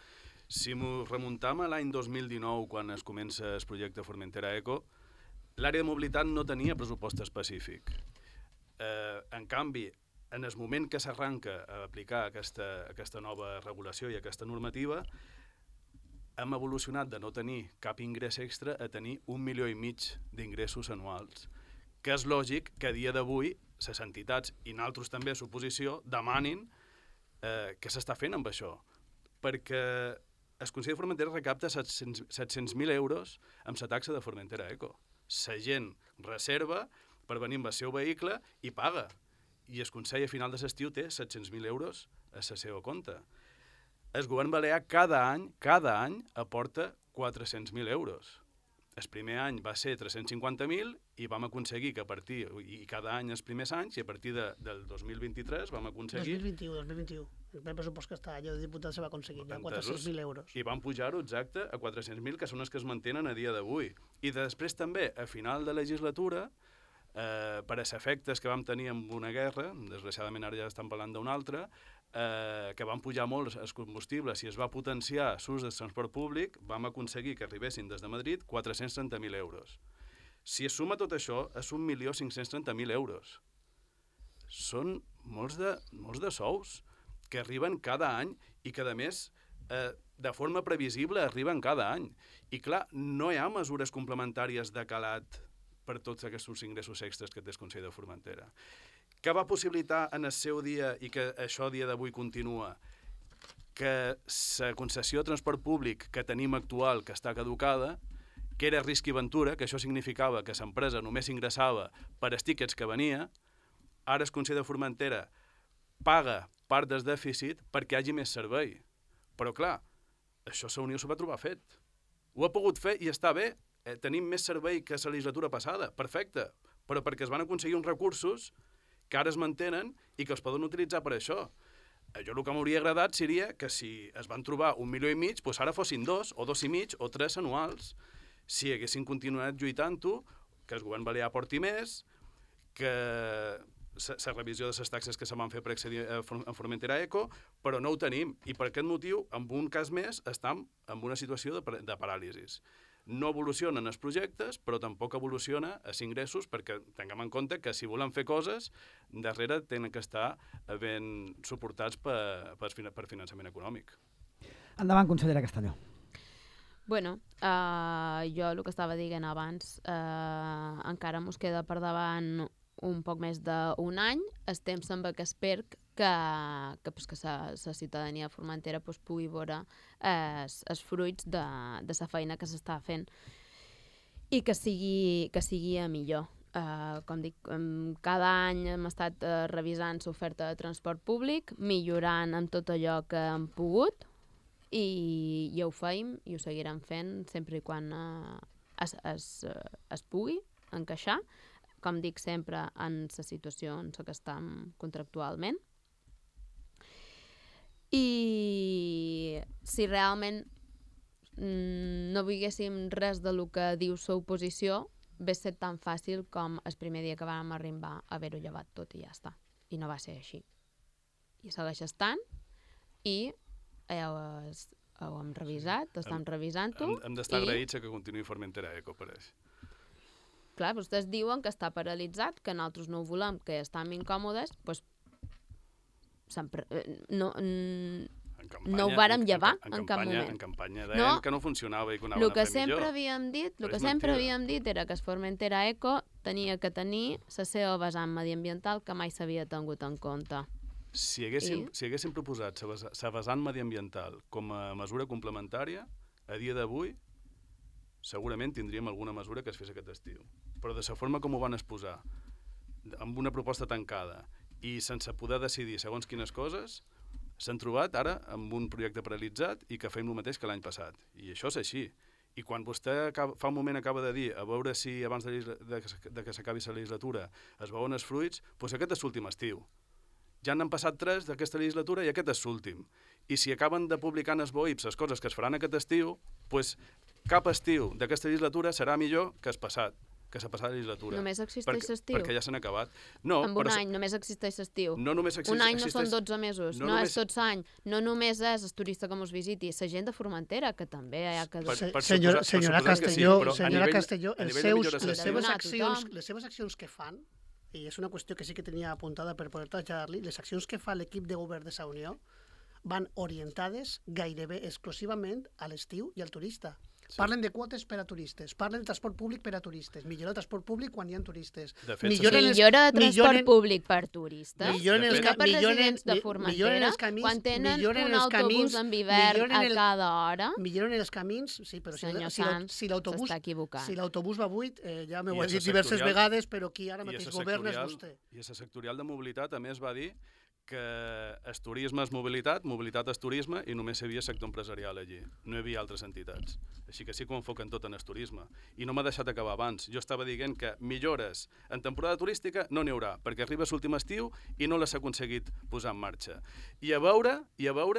Si m'ho remuntam a l'any 2019, quan es comença el projecte Formentera Eco, l'àrea de mobilitat no tenia pressupost específic. En canvi, en el moment que s'arranca a aplicar aquesta nova regulació i aquesta normativa, hem evolucionat de no tenir cap ingrés extra a tenir 1,5 milions d'ingressos anuals, que és lògic que a dia d'avui les entitats i nosaltres també a l'oposició demanin què s'està fent amb això, perquè el Consell de Formentera recapta 700.000 euros amb la taxa de Formentera Eco. La gent reserva per venir amb el seu vehicle i paga. I el Consell a final de l'estiu té 700.000 euros a la seva compte. El govern balear cada any aporta 400.000 euros. El primer any va ser 350.000 i vam aconseguir que a partir, i cada any els primers anys, i a partir del 2023 vam aconseguir... 2021. El primer pressupost que està allò de diputat se va aconseguir, ja 400.000 euros. I van pujar-ho exacte a 400.000, que són els que es mantenen a dia d'avui. I després també, a final de legislatura, per als efectes que vam tenir amb una guerra, desgraciadament ara ja estan parlant d'una altra, que van pujar molt els combustibles i es va potenciar l'ús del transport públic, vam aconseguir que arribessin des de Madrid 430.000 euros. Si es suma tot això, és 1.530.000 euros. Són molts de sous que arriben cada any i que, a més, de forma previsible arriben cada any. I clar, no hi ha mesures complementàries de calat per tots aquests ingressos extras que té el Consell de Formentera. Què va possibilitar en el seu dia, i que això a dia d'avui continua, que la concessió de transport públic que tenim actual, que està caducada, que era risc i ventura, que això significava que l'empresa només ingressava per els tíquets que venia, ara el Consell de Formentera paga part del dèficit perquè hi hagi més servei. Però clar, això la Unió s'ho va trobar fet. Ho ha pogut fer i està bé. Tenim més servei que la legislatura passada, perfecte, però perquè es van aconseguir uns recursos que ara es mantenen i que es poden utilitzar per això. Jo el que m'hauria agradat seria que si es van trobar 1,5 milions, doncs ara fossin 2, o 2,5 milions, o 3 anuals. Si haguessin continuat lluitant-ho, que el govern balear porti més, que la revisió de les taxes que se van fer per accedir a Formentera Eco, però no ho tenim. I per aquest motiu, en un cas més, estem en una situació de paràlisis. No evolucionen els projectes, però tampoc evoluciona els ingressos, perquè tinguem en compte que si volen fer coses, darrere tenen que estar ben suportats per finançament econòmic. Endavant, consellera Castelló. Bueno, jo el que estava dient abans, encara mos queda per davant un poc més d'un any. El temps sembla que espero que la ciutadania de Formentera pugui veure els fruits de la feina que s'està fent i que sigui a millor. Com dic, cada any hem estat revisant l'oferta de transport públic, millorant amb tot allò que hem pogut, i ho feim i ho seguirem fent sempre i quan es pugui encaixar, com dic sempre, en la situació en què estem contractualment. I si realment no veiéssim res del que diu l'oposició, hauria estat tan fàcil com el primer dia que vam arribar a haver-ho llevat tot i ja està. I no va ser així. I segueix estant, i ho hem revisat, estem revisant-ho. Hem d'estar agraïts que continuï Formentera Eco, pareix. Clar, vostès diuen que està paralitzat, que nosaltres no ho volem, que estem incòmodes, doncs no ho vàrem llevar en cap moment. En campanya deien que no funcionava i que ho anaven a fer millor. El que sempre havíem dit era que Formentera Eco tenia que tenir la seva vessant mediambiental que mai s'havia tingut en compte. Si haguéssim proposat la vessant mediambiental com a mesura complementària, a dia d'avui segurament tindríem alguna mesura que es fes aquest estiu. Però de la forma com ho van exposar, amb una proposta tancada i sense poder decidir segons quines coses, s'han trobat ara amb un projecte paralitzat i que fem el mateix que l'any passat. I això és així. I quan vostè fa un moment acaba de dir a veure si abans de que s'acabi la legislatura es veuen els fruits, doncs aquest és l'últim estiu. Ja n'han passat 3 d'aquesta legislatura i aquest és l'últim. I si acaben de publicar en els BOIPs les coses que es faran aquest estiu, doncs cap estiu d'aquesta legislatura serà millor que el passat, que la passada legislatura. Només existeix l'estiu? Perquè ja s'han acabat. Amb un any només existeix l'estiu. Un any no són 12 mesos, no és tot l'any. No només és el turista que mos visiti, la gent de Formentera, que també hi ha que... Senyora Castelló, les seves accions que fan, i és una qüestió que sí que tenia apuntada per poder traslladar-li, les accions que fa l'equip de govern de la Unió van orientades gairebé exclusivament a l'estiu i al turista. Sí. Parlen de quotes per a turistes, parlen de transport públic per a turistes, millora el transport públic quan hi ha turistes. Millora de transport públic per turistes, millora per residents de Formentera, quan tenen un autobús en hivern a cada hora. Milloren els camins, sí, però si l'autobús va buit, ja m'ho he dit diverses vegades, però qui ara mateix governa és vostè. I a la sectorial de mobilitat, a més, va dir que el turisme és mobilitat, mobilitat és turisme, i només hi havia sector empresarial allí. No hi havia altres entitats. Així que sí que ho enfoquen tot en el turisme. I no m'ha deixat acabar abans. Jo estava dient que millores en temporada turística no n'hi haurà, perquè arriba l'últim estiu i no les ha aconseguit posar en marxa. I a veure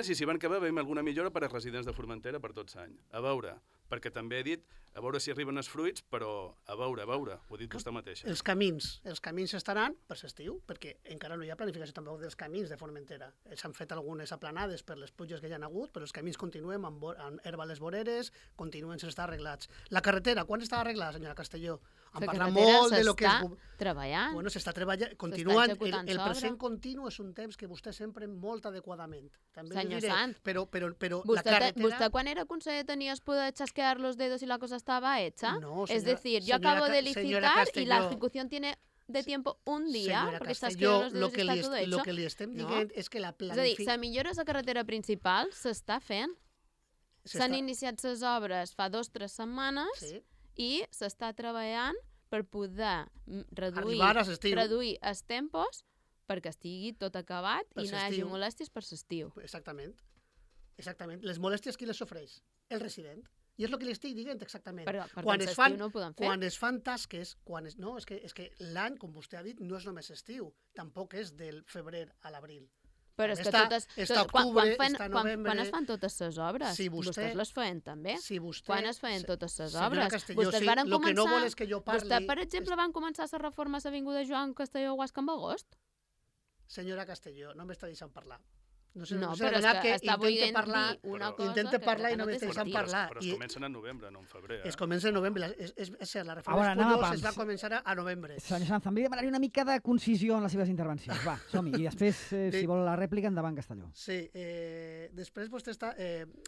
si van acabar veiem alguna millora per als residents de Formentera per tot l'any. A veure, perquè també he dit a veure si arriben els fruits, però a veure, ho ha dit vostè mateixa. Els camins estaran per l'estiu, perquè encara no hi ha planificació tampoc dels camins de Formentera. S'han fet algunes aplanades per les pluges que hi ha hagut, però els camins continuen amb herba a les voreres, continuen sense estar arreglats. La carretera, quan està arreglada, senyora Castelló? Han parlat molt de lo que és... treballant. Bueno, s'està treballant, continuen, el present continu és un temps que vostè sempre molt adequadament. També Senyor diré, Sant, però la vostè, carretera... vostè quan era conseller tenies poder chasquear los dedos y la cosa estaba hecha. No, es decir, yo acabo de licitar y la ejecución tiene de tiempo un día, porque chasqueo los dedos y está todo hecho. Lo que li estem dient és que la planificació... És a dir, la millora de la carretera principal s'està fent. S'han iniciat les obres fa 2 o 3 setmanes i s'està treballant per poder reduir els tempos perquè estigui tot acabat i no hi hagi molèsties per l'estiu. Exactament. Les molèsties qui les sofreix? El resident. I és el que li estic dient exactament. Perquè l'estiu no ho podem fer. Quan es fan tasques, no, és que l'any, com vostè ha dit, no és només estiu, tampoc és del febrer a l'abril. Però és que quan es fan totes les obres? Vostès les feien també. Quan es feien totes les obres? Vostès van començar... Vostè, per exemple, van començar la reforma a l'Avinguda Joan Castelló Guasca en agost? Senyora Castelló, no m'està deixant parlar. No, però és que està volent dir una cosa intenta parlar i no m'està deixant parlar. Però es comencen en novembre, no en febrer. Es comença en novembre. És cert, la reforma es va començar a novembre. Senyor Sanz, em demanaria una mica de concisió en les seves intervencions. Va, som-hi. I després, si vol la rèplica, endavant, Castelló. Sí, després vostè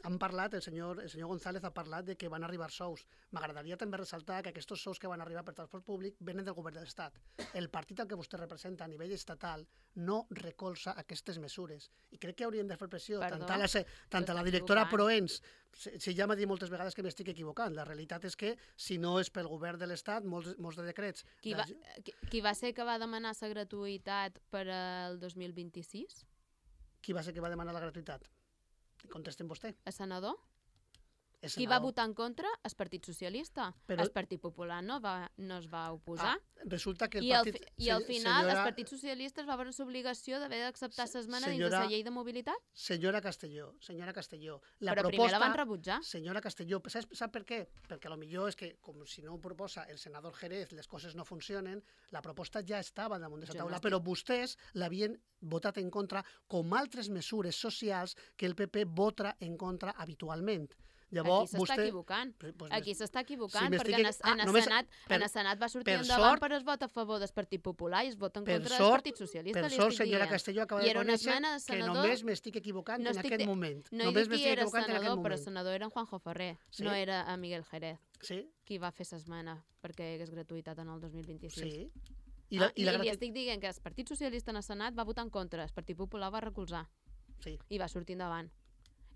han parlat, el senyor González ha parlat de que van arribar sous. M'agradaria també ressaltar que aquests sous que van arribar per transport públic venen del govern de l'Estat. El partit al que vostè representa a nivell estatal no recolza aquestes mesures. I crec que hauríem de fer pressió tant a la directora Proens, si ja m'ha dit moltes vegades que m'estic equivocant. La realitat és que si no és pel govern de l'Estat, molts de decrets... Qui va ser que va demanar la gratuïtat per al 2026? Qui va ser que va demanar la gratuïtat? Contestem vostè. El senador? Qui va votar en contra? El Partit Socialista. El Partit Popular no es va oposar. Resulta que I al final el Partit Socialista es va veure l'obligació d'haver d'acceptar l'esmena dins de la llei de mobilitat? Senyora Castelló, però primer la van rebutjar. Senyora Castelló, sap per què? Perquè potser és que, com si no ho proposa el senador Jerez, les coses no funcionen, la proposta ja estava damunt de la taula, però vostès l'havien votat en contra com altres mesures socials que el PP vota en contra habitualment. Llavors, aquí s'està equivocant, perquè en el Senat va sortir endavant per es vot a favor del Partit Popular i es vota en contra del Partit Socialista. Per sort, senyora Castelló, acaba de conèixer que només m'estic equivocant en aquest moment. No he dit qui era senador, però el senador era en Juanjo Ferrer, no era a Miguel Jerez, qui va fer l'esmena perquè hi hagués gratuïtat en el 2026. Sí. I li estic dient que el Partit Socialista en el Senat va votar en contra, el Partit Popular va recolzar i va sortir endavant.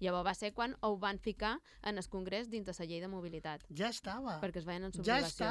Llavors va ser quan ho van ficar en el Congrés dins de la llei de mobilitat. Ja estava. Perquè es veien en sublevació.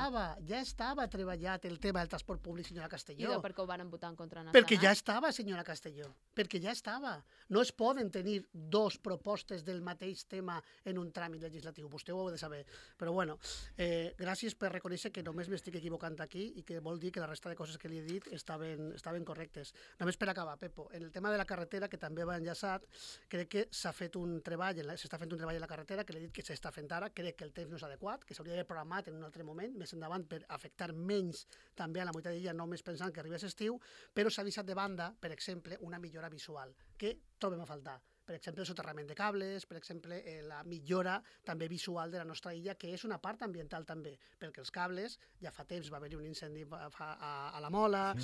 Ja estava treballat el tema del transport públic, senyora Castelló. I perquè ho van votar en contra en el Perquè ja estava, senyora Castelló. Perquè ja estava. No es poden tenir 2 propostes del mateix tema en un tràmit legislatiu. Vostè ho heu de saber. Però bueno, gràcies per reconèixer que només m'estic equivocant aquí i que vol dir que la resta de coses que li he dit estaven correctes. Només per acabar, Pepo, en el tema de la carretera, que també va enllaçat, crec que s'està fent un treball a la carretera, que l'he dit que s'està fent ara, crec que el temps no és adequat, que s'hauria d'haver programat en un altre moment, més endavant, per afectar menys també a la meitat d'illa, només pensant que arribés estiu, però s'ha deixat de banda, per exemple, una millora visual, que trobem a faltar. Per exemple, el soterrament de cables, per exemple, la millora també visual de la nostra illa, que és una part ambiental també, perquè els cables, ja fa temps va haver-hi un incendi a la Mola,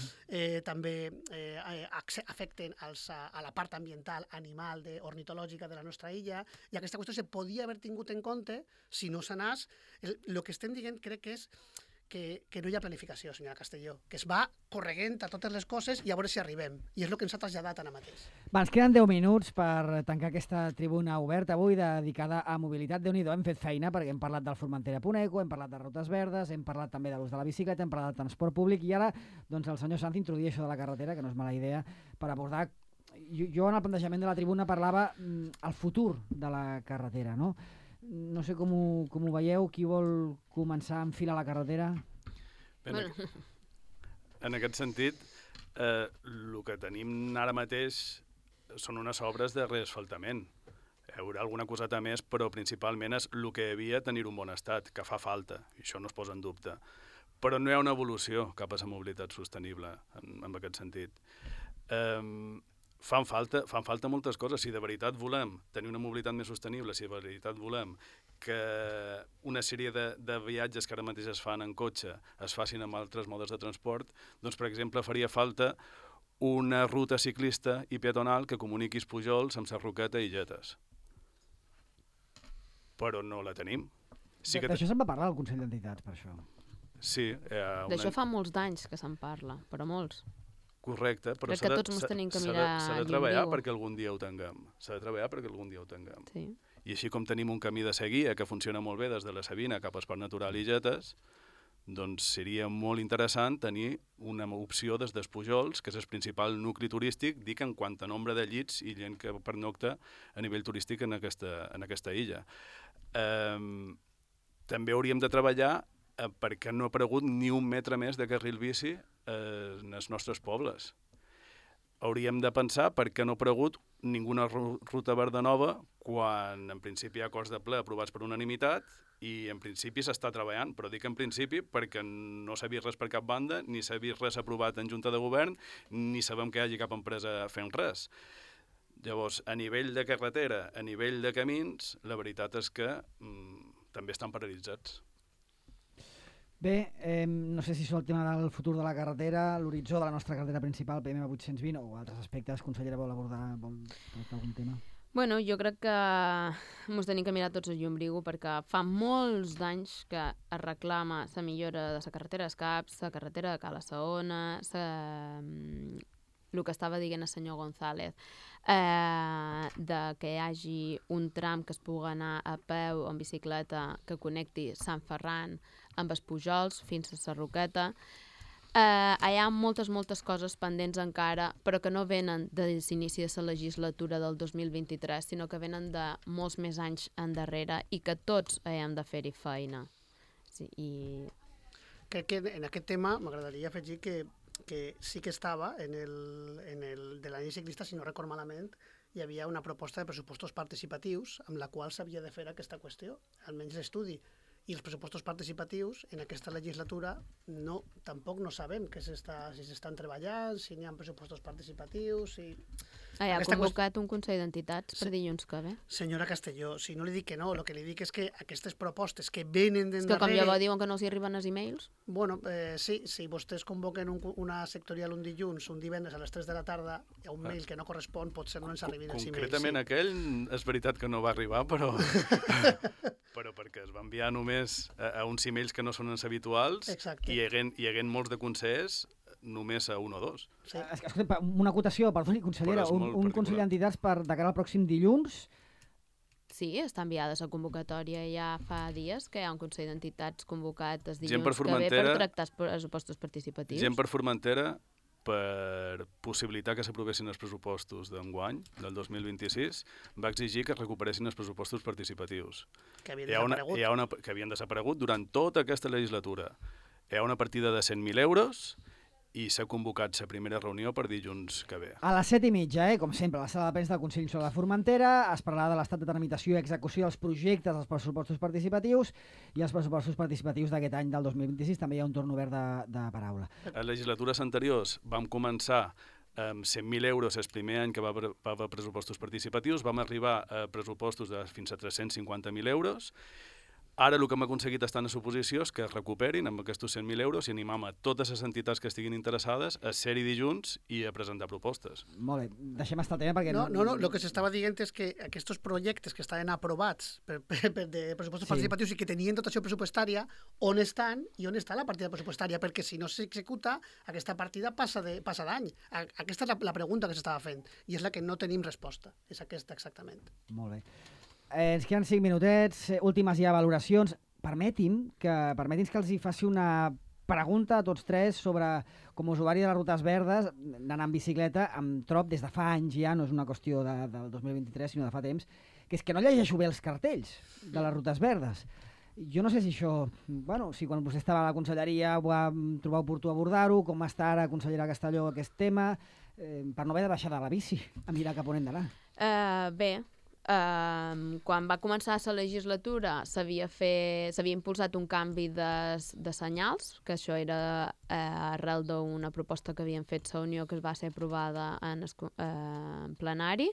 també afecten a la part ambiental, animal, ornitològica de la nostra illa, i aquesta qüestió se podia haver tingut en compte si no s'anés. El que estem dient crec que és que no hi ha planificació, senyora Castelló, que es va correguent a totes les coses i a veure si arribem. I és el que ens ha traslladat ara mateix. Va, ens queden 10 minuts per tancar aquesta tribuna oberta avui dedicada a mobilitat. Déu-n'hi-do, hem fet feina perquè hem parlat del Formentera.eco, hem parlat de rutes verdes, hem parlat també de l'ús de la bicicleta, hem parlat de transport públic i ara doncs, el senyor Sanz introduïa això de la carretera, que no és mala idea, per abordar... Jo en el plantejament de la tribuna parlava el futur de la carretera, no? No sé com ho veieu, qui vol començar a enfilar la carretera? En aquest sentit, el que tenim ara mateix són unes obres de reasfaltament. Hi haurà alguna coseta més, però principalment és el que hi havia tenir un bon estat, que fa falta, i això no es posa en dubte. Però no hi ha una evolució cap a la mobilitat sostenible, en aquest sentit. Fan falta moltes coses. Si de veritat volem tenir una mobilitat més sostenible, si de veritat volem que una sèrie de viatges que ara mateix es fan en cotxe es facin amb altres modes de transport, doncs, per exemple, faria falta una ruta ciclista i peatonal que comuniqui Pujols amb Sarroqueta i Illetes. Però no la tenim. Sí que d'això se'n va parlar al Consell d'Entitats, per això. Sí. D'això fa molts d'anys que se'n parla, però molts. Correcte, però crec que tots ens tenim que mirar s'ha de treballar perquè algun dia ho tinguem. S'ha de treballar perquè algun dia ho tinguem. Sí. I així com tenim un camí de seguida que funciona molt bé des de la Sabina cap a Esport Natural i Illetes, doncs seria molt interessant tenir una opció des dels Pujols, que és el principal nucli turístic, dic en quant a nombre de llits i gent que pernocta a nivell turístic en aquesta illa. També hauríem de treballar perquè no ha aparegut ni un metre més de carril bici en els nostres pobles. Hauríem de pensar per què no ha aparegut ninguna ruta verda nova quan en principi hi ha acords de ple aprovats per unanimitat i en principi s'està treballant, però dic en principi perquè no s'ha vist res per cap banda, ni s'ha vist res aprovat en Junta de Govern, ni sabem que hi hagi cap empresa fent res. Llavors, a nivell de carretera, a nivell de camins, la veritat és que també estan paralitzats. Bé, no sé si és el tema del futur de la carretera, l'horitzó de la nostra carretera principal, PM820, o altres aspectes. Consellera, vol abordar algun tema? Bueno, jo crec que ens tenim que mirar tots el llumbriu perquè fa molts d'anys que es reclama la millora de la carretera d'Escaps, la carretera de Cala Saona, el que estava dient el senyor González, de que hi hagi un tram que es pugui anar a peu o en bicicleta que connecti Sant Ferran amb els Pujols fins a Sarroqueta. Hi ha moltes coses pendents encara, però que no venen des l'inici de la legislatura del 2023, sinó que venen de molts més anys endarrere i que tots hem de fer-hi feina. Sí, Crec que en aquest tema m'agradaria afegir que sí que estava en el de l'any ciclista, si no record malament, hi havia una proposta de pressupostos participatius amb la qual s'havia de fer aquesta qüestió, almenys l'estudi. I els pressupostos participatius en aquesta legislatura tampoc no sabem si s'estan treballant, si n'hi ha pressupostos participatius, si... Ha convocat un Consell d'Entitats per dilluns que ve. Senyora Castelló, si no li dic que no, el que li dic és que aquestes propostes que venen d'endarrere... És que com llavors diuen que no els arriben els e-mails? Bueno, sí, si vostès convoquen una sectorial un dilluns, un divendres a les 3 de la tarda, hi ha un mail que no correspon, potser no ens arribin els e-mails. Concretament aquell és veritat que no va arribar, però... però perquè es va enviar només a uns e-mails que no són els habituals. Exacte. I hi hagué molts de consells només a un o dos. Sí. Escolta, una acotació, perdoni, consellera, un Consell d'Entitats de cara al pròxim dilluns. Sí, està enviada la convocatòria ja fa dies que hi ha un Consell d'Entitats convocat els dilluns que ve per tractar els pressupostos participatius. Gent per Formentera per possibilitar que s'aprovessin els pressupostos d'enguany, del 2026, va exigir que es recuperessin els pressupostos participatius. Que havien desaparegut durant tota aquesta legislatura. Hi ha una partida de 100.000 euros i s'ha convocat la primera reunió per dilluns que ve. A les 7:30, com sempre, a la sala de premsa del Consell Insular de Formentera, es parlarà de l'estat de tramitació i execució dels projectes dels pressupostos participatius i els pressupostos participatius d'aquest any del 2026. També hi ha un torn obert de paraula. A legislatures anteriors vam començar amb 100.000 euros el primer any que va haver pressupostos participatius, vam arribar a pressupostos de fins a 350.000 euros. Ara el que hem aconseguit estar en suposició és que es recuperin amb aquests 100.000 euros i animam a totes les entitats que estiguin interessades a ser-hi dilluns i a presentar propostes. Molt bé, deixem estar el tema perquè... No, el que s'estava dient és que aquests projectes que estaven aprovats de pressupostos participatius i que tenien dotació pressupostària, on estan i on està la partida pressupostària? Perquè si no s'executa, aquesta partida passa d'any. Aquesta és la pregunta que s'estava fent i és la que no tenim resposta. És aquesta exactament. Molt bé. Ens queden 5 minutets, últimes ja valoracions. Permeti'm que els hi faci una pregunta a tots tres sobre, com a usuari de les rutes verdes, d'anar en bicicleta, em trob des de fa anys ja, no és una qüestió del 2023, sinó de fa temps, que és que no llegeixo bé els cartells de les rutes verdes. Jo no sé si això, si quan vostè estava a la conselleria va trobar oportú abordar-ho, com està ara, consellera Castelló, aquest tema, per no haver de baixar de la bici a mirar cap on hem d'anar. Bé, quan va començar la legislatura s'havia impulsat un canvi de senyals, que això era arrel d'una proposta que havien fet la Unió, que es va ser aprovada en plenari,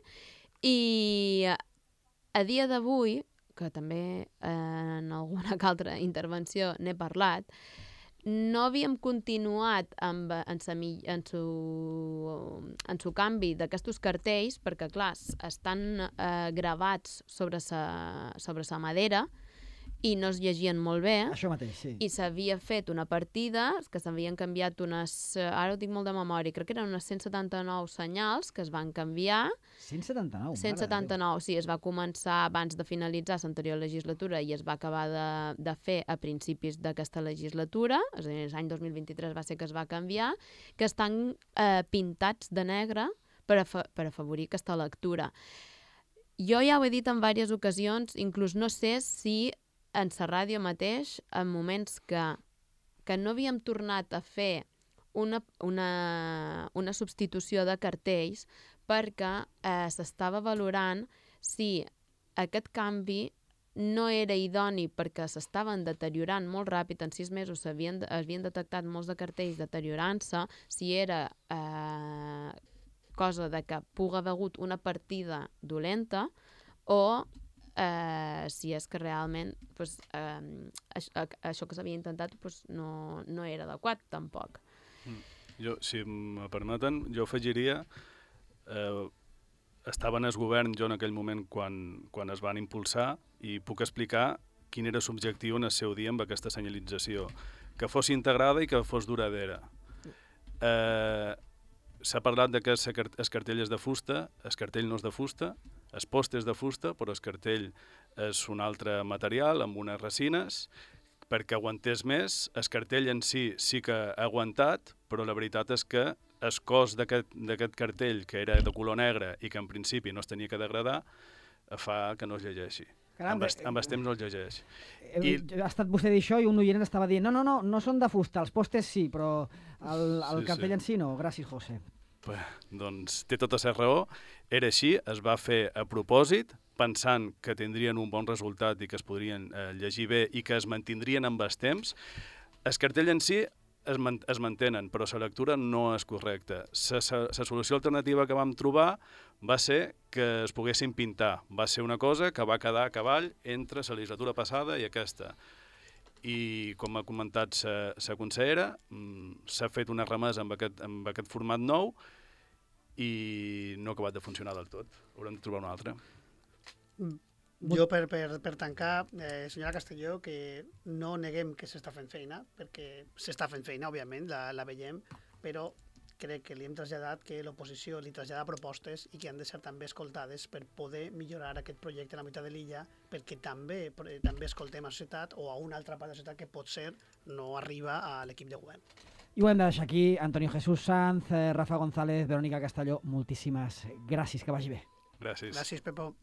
i a dia d'avui, que també en alguna altra intervenció n'he parlat, no havíem continuat en su canvi d'aquests cartells, perquè, clar, estan gravats sobre sa madera i no es llegien molt bé. Això mateix, sí. I s'havia fet una partida, que s'havien canviat ara ho dic molt de memòria, crec que eren unes 179 senyals que es van canviar. 179? 179, sí, es va començar abans de finalitzar l'anterior legislatura i es va acabar de fer a principis d'aquesta legislatura, és a dir, l'any 2023 va ser que es va canviar, que estan pintats de negre per afavorir aquesta lectura. Jo ja ho he dit en diverses ocasions, inclús no sé si en la ràdio mateix, en moments que no havíem tornat a fer una substitució de cartells perquè s'estava valorant si aquest canvi no era idoni perquè s'estaven deteriorant molt ràpid, en 6 mesos havien detectat molts de cartells deteriorant-se, si era cosa de que pugui haver hagut una partida dolenta o si és que realment això que s'havia intentat no era adequat tampoc. Jo, si me permeten, jo afegiria estava en el govern jo en aquell moment quan es van impulsar i puc explicar quin era l'objectiu en el seu dia amb aquesta senyalització, que fos integrada i que fos duradera. S'ha parlat de que el cartell és de fusta, el cartell no és de fusta, el post és de fusta, però el cartell és un altre material amb unes resines, perquè aguantés més. El cartell en si que ha aguantat, però la veritat és que el cos d'aquest cartell, que era de color negre i que en principi no es tenia que degradar, fa que no es llegeixi. Amb el temps no es llegeix. Ha estat vostè dir això i un oient estava dient no són de fusta, els postes sí, però el cartell en si no. Gràcies, José. Doncs té tota la raó. Era així, es va fer a propòsit, pensant que tindrien un bon resultat i que es podrien llegir bé i que es mantindrien amb el temps. El cartell en si es mantenen, però la lectura no és correcta. La solució alternativa que vam trobar va ser que es poguessin pintar. Va ser una cosa que va quedar a cavall entre la legislatura passada i aquesta. I, com ha comentat la consellera, s'ha fet una remesa amb aquest format nou i no ha acabat de funcionar del tot. Haurem de trobar una altra. Jo, per tancar, senyora Castelló, que no neguem que s'està fent feina, perquè s'està fent feina, òbviament, la veiem, però crec que li hem traslladat que l'oposició li trasllada propostes i que han de ser també escoltades per poder millorar aquest projecte a la meitat de l'illa, perquè també escoltem a la societat o a una altra part de la societat que potser no arriba a l'equip de govern. I ho hem de deixar aquí. Antonio Jesús Sanz, Rafa González, Verónica Castelló, moltíssimes gràcies, que vagi bé. Gràcies. Gràcies, Pepo.